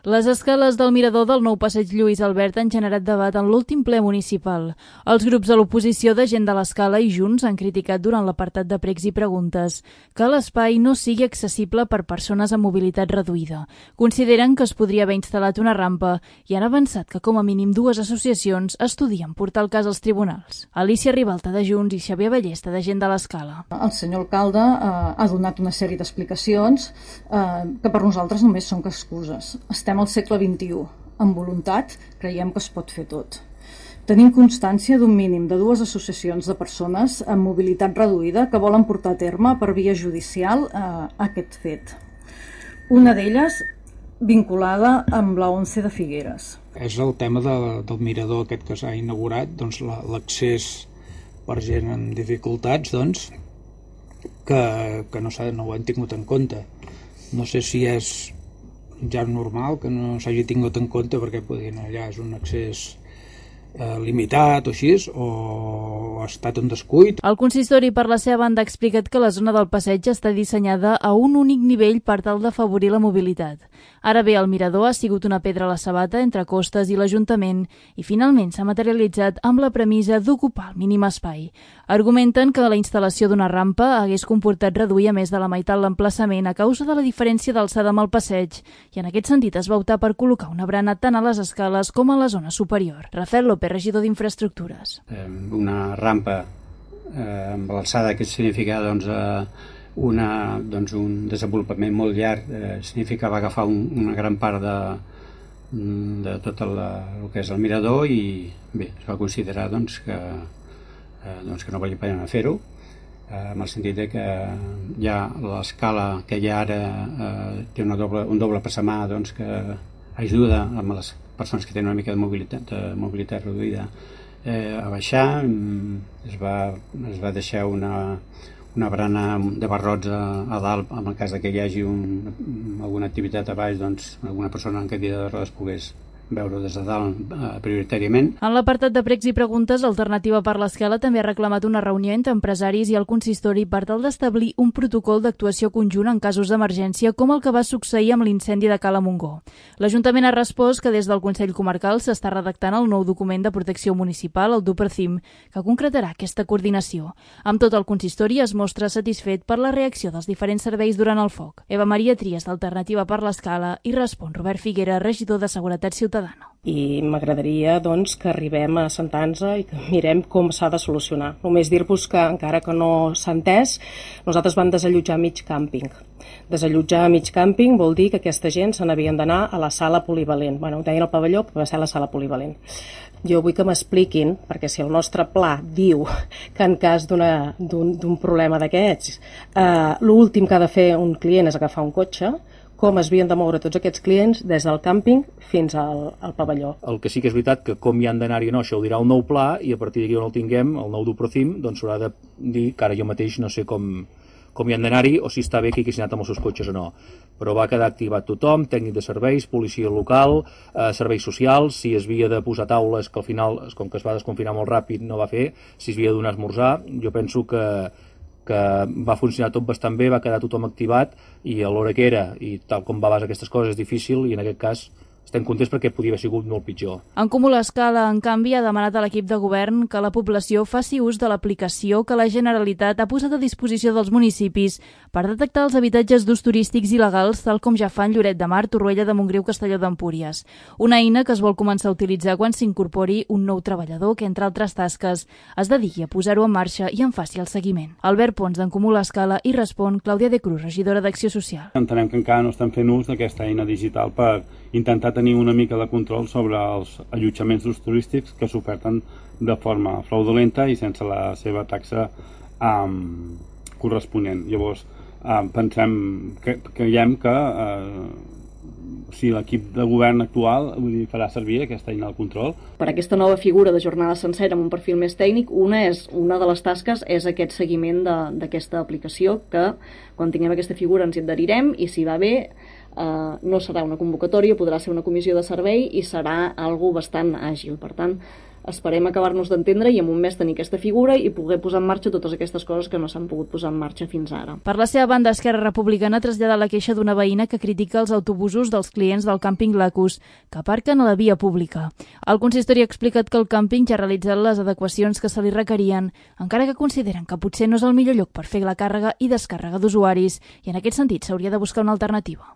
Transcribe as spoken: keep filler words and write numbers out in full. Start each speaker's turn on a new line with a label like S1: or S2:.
S1: Les escales del mirador del nou passeig Lluís Albert han generat debat en l'últim ple municipal. Els grups de l'oposició de Gent de l'Escala i Junts han criticat durant l'apartat de pregs i preguntes que l'espai no sigui accessible per persones amb mobilitat reduïda. Consideren que es podria haver instal·lat una rampa i han avançat que com a mínim dues associacions estudien portar el cas als tribunals. Alicia Ribalta de Junts i Xavier Ballesta de Gent de l'Escala.
S2: El senyor alcalde eh, ha donat una sèrie d'explicacions eh, que per nosaltres només són excuses. Estem al segle vint-i-u. Amb voluntat creiem que es pot fer tot. Tenim constància d'un mínim de dues associacions de persones amb mobilitat reduïda que volen portar a terme per via judicial eh, aquest fet. Una d'elles vinculada amb la ONCE de Figueres.
S3: És el tema de, del mirador aquest que s'ha inaugurat, doncs l'accés per gent amb dificultats, doncs, que, que no, no ho han tingut en compte. No sé si és ja normal que no s'hagi tingut en compte perquè podien allà és un accés eh, limitat o així, o ha estat un descuit.
S1: El consistori per la seva banda ha explicat que la zona del passeig està dissenyada a un únic nivell per tal d'afavorir la mobilitat. Ara bé, el mirador ha sigut una pedra a la sabata entre Costes i l'Ajuntament i finalment s'ha materialitzat amb la premissa d'ocupar el mínim espai. Argumenten que la instal·lació d'una rampa hagués comportat reduir a més de la meitat l'emplaçament a causa de la diferència d'alçada amb el passeig i en aquest sentit es va optar per col·locar una barana tant a les escales com a la zona superior. Rafael López, regidor d'Infraestructures.
S4: Una rampa eh, amb l'alçada que significa doncs, eh, una, doncs, un desenvolupament molt llarg, eh, significava agafar un, una gran part de, de tot el, el que és el mirador i bé, es va considerar doncs, que, eh, doncs, que no valia pena fer-ho, eh, en el sentit de que ja l'escala que hi ha ara eh, té una doble, un doble passamà doncs, que ajuda a les persones que tenen una mica de mobilitat, de mobilitat reduïda eh, a baixar. Es va, es va deixar una, una barana de barrots a, a dalt en el cas que hi hagi un, alguna activitat a baix, doncs alguna persona en cadira de rodes pogués veure des de dalt eh, prioritàriament.
S1: En l'apartat de pregs i preguntes, Alternativa per l'Escala també ha reclamat una reunió entre empresaris i el consistori per tal d'establir un protocol d'actuació conjunt en casos d'emergència com el que va succeir amb l'incendi de Cala Montgó. L'Ajuntament ha respost que des del Consell Comarcal s'està redactant el nou document de protecció municipal, el DUPRCIM, que concretarà aquesta coordinació. Amb tot, el consistori es mostra satisfet per la reacció dels diferents serveis durant el foc. Eva Maria Trias, d'Alternativa per l'Escala, i respon Robert Figuera, regidor de Seguretat Ciutadana.
S5: I m'agradaria doncs, que arribem a sentar-nos i que mirem com s'ha de solucionar. Només dir-vos que, encara que no s'ha entès, nosaltres vam desallotjar mig càmping. Desallotjar mig càmping vol dir que aquesta gent se n'havien d'anar a la sala polivalent. Bueno, ho deien al pavelló, però va ser a la sala polivalent. Jo vull que m'expliquin, perquè si el nostre pla diu que en cas d'un problema d'aquests, eh, l'últim que ha de fer un client és agafar un cotxe, com es havien de moure tots aquests clients des del càmping fins al, al pavelló.
S6: El que sí que és veritat que com hi han d'anar-hi o no, això ho dirà el nou pla i a partir d'aquí on el tinguem, el nou DUPRCIM, doncs s'haurà de dir que ara jo mateix no sé com, com hi han d'anar-hi o si està bé que hi haguessin anat amb els seus cotxes o no. Però va quedar activat tothom, tècnic de serveis, policia local, eh, serveis socials, si es havia de posar taules, que al final, com que es va desconfinar molt ràpid, no va fer, si es havia de donar a esmorzar, jo penso que que va funcionar tot bastant bé, va quedar tothom activat i a l'hora que era i tal com va basar aquestes coses és difícil i en aquest cas estem contents perquè podia haver sigut molt pitjor.
S1: En Comú l'Escala, en canvi, ha demanat a l'equip de govern que la població faci ús de l'aplicació que la Generalitat ha posat a disposició dels municipis per detectar els habitatges d'ús turístics il·legals, tal com ja fan Lloret de Mar, Torroella de Montgrí o Castelló d'Empúries. Una eina que es vol començar a utilitzar quan s'incorpori un nou treballador que, entre altres tasques, es dediqui a posar-ho en marxa i en faci el seguiment. Albert Pons, d'en Comú l'Escala, i respon Clàudia de Cruz, regidora d'Acció Social.
S7: Entenem que encara no estem fent ús d'aquesta eina digital per intentar tenir una mica de control sobre els allotjaments d'ús turístics que s'oferten de forma fraudulenta i sense la seva taxa um, corresponent. Llavors, um, pensem que creiem que uh, si l'equip de govern actual vull dir, farà servir aquesta eina del control.
S8: Per aquesta nova figura de jornada sencera amb un perfil més tècnic, una, és, una de les tasques és aquest seguiment d'aquesta aplicació que quan tinguem aquesta figura ens hi adherirem i si va bé eh, no serà una convocatòria, podrà ser una comissió de servei i serà algo bastant àgil. Per tant, esperem acabar-nos d'entendre i en un mes tenir aquesta figura i poder posar en marxa totes aquestes coses que no s'han pogut posar en marxa fins ara.
S1: Per la seva banda, Esquerra Republicana ha traslladat la queixa d'una veïna que critica els autobusos dels clients del càmping Lacus, que aparquen a la via pública. El consistori ha explicat que el càmping ja ha realitzat les adequacions que se li requerien, encara que consideren que potser no és el millor lloc per fer la càrrega i descàrrega d'usuaris, i en aquest sentit s'hauria de buscar una alternativa.